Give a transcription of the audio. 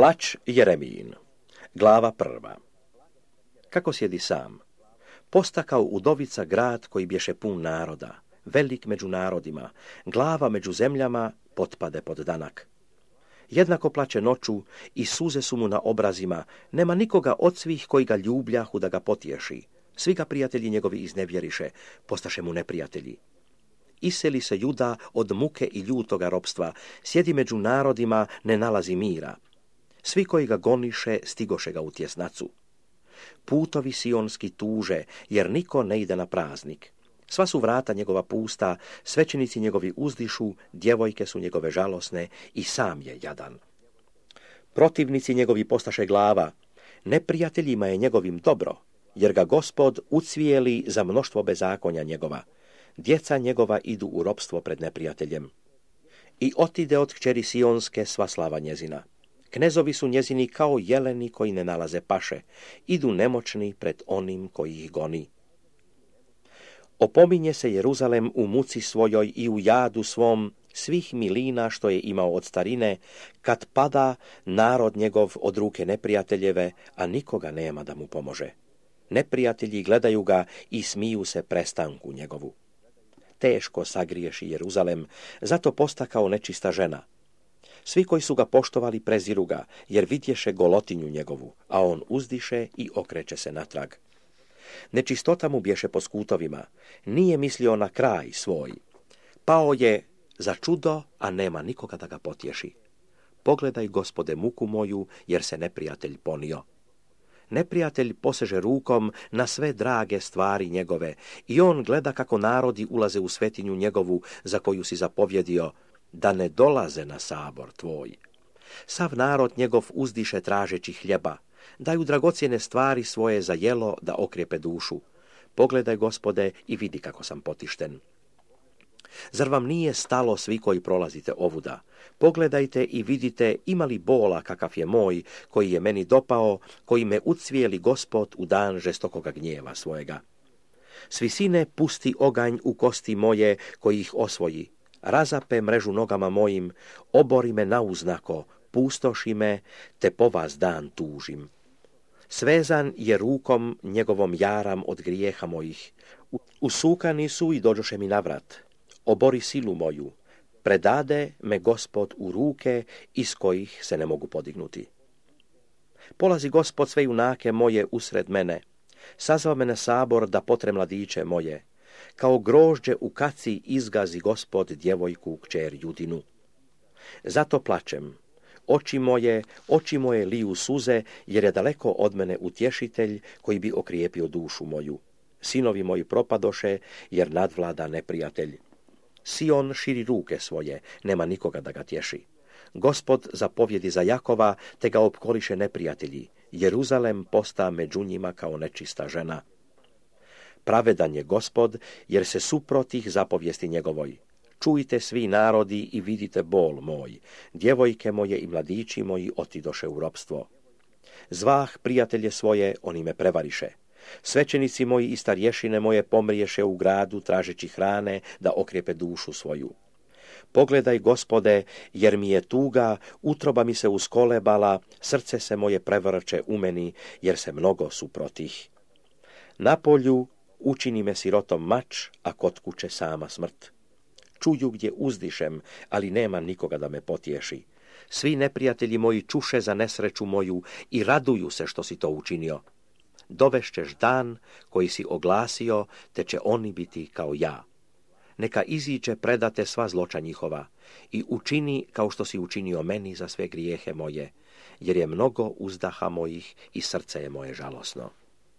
Plač Jeremijin. Glava 1. Kako sjedi sam, postakao udovica grad koji bješe pun naroda, velik među narodima, glava među zemljama, potpade pod danak. Jednako plače noću i suze su mu na obrazima, nema nikoga od svih koji ga ljubljahu da ga potješi. Svi ga prijatelji njegovi iznevjeriše, postaše mu neprijatelji. Iseli se Juda od muke i ljutoga ropstva, sjedi među narodima, ne nalazi mira. Svi koji ga goniše, stigoše ga u tjesnacu. Putovi sionski tuže, jer niko ne ide na praznik. Sva su vrata njegova pusta, svećenici njegovi uzdišu, djevojke su njegove žalosne i sam je jadan. Protivnici njegovi postaše glava, neprijateljima je njegovim dobro, jer ga Gospod ucvijeli za mnoštvo bezakonja njegova. Djeca njegova idu u ropstvo pred neprijateljem. I otide od kćeri sionske sva slava njezina. Knezovi su njezini kao jeleni koji ne nalaze paše, idu nemoćni pred onim koji ih goni. Opominje se Jeruzalem u muci svojoj i u jadu svom svih milina što je imao od starine, kad pada narod njegov od ruke neprijateljeve, a nikoga nema da mu pomože. Neprijatelji gledaju ga i smiju se prestanku njegovu. Teško sagriješi Jeruzalem, zato posta kao nečista žena. Svi koji su ga poštovali preziru ga, jer vidješe golotinju njegovu, a on uzdiše i okreće se natrag. Nečistota mu bješe po skutovima, nije mislio na kraj svoj. Pao je za čudo, a nema nikoga da ga potješi. Pogledaj, Gospode, muku moju, jer se neprijatelj ponio. Neprijatelj poseže rukom na sve drage stvari njegove i on gleda kako narodi ulaze u svetinju njegovu za koju si zapovjedio, da ne dolaze na sabor tvoj. Sav narod njegov uzdiše tražeći hljeba, daju dragocjene stvari svoje za jelo da okrijepe dušu. Pogledaj, Gospode, i vidi kako sam potišten. Zar vam nije stalo svi koji prolazite ovuda? Pogledajte i vidite ima li bola kakav je moj, koji je meni dopao, koji me ucvijeli Gospod u dan žestokoga gnjeva svojega. S visine pusti oganj u kosti moje koji ih osvoji. Razape mrežu nogama mojim, obori me nauznako, pustoši me, te po vas dan tužim. Svezan je rukom njegovom jaram od grijeha mojih. Usukani su i dođoše mi navrat. Obori silu moju, predade me Gospod u ruke iz kojih se ne mogu podignuti. Polazi Gospod sve junake moje usred mene, sazva me na sabor da potre mladiće moje, kao grožđe u kaci izgazi Gospod djevojku kćer Judinu. Zato plačem, oči moje liju suze, jer je daleko od mene utješitelj koji bi okrijepio dušu moju. Sinovi moji propadoše, jer nadvlada neprijatelj. Sion širi ruke svoje, nema nikoga da ga tješi. Gospod zapovjedi za Jakova, te ga opkoliše neprijatelji. Jeruzalem posta među njima kao nečista žena. Pravedan je Gospod, jer se suprotih zapovijesti njegovoj. Čujte svi narodi i vidite bol moj. Djevojke moje i mladići moji otidoše u ropstvo. Zvah prijatelje svoje, oni me prevariše. Svećenici moji i starješine moje pomriješe u gradu tražeći hrane da okrijepe dušu svoju. Pogledaj, Gospode, jer mi je tuga, utroba mi se uskolebala, srce se moje prevrće u meni, jer se mnogo suprotih. Na polju učini me sirotom mač, a kod kuće sama smrt. Čuju gdje uzdišem, ali nema nikoga da me potješi. Svi neprijatelji moji čuše za nesreću moju i raduju se što si to učinio. Dovešćeš dan koji si oglasio, te će oni biti kao ja. Neka iziđe predate sva zloča njihova i učini kao što si učinio meni za sve grijehe moje, jer je mnogo uzdaha mojih i srce je moje žalosno.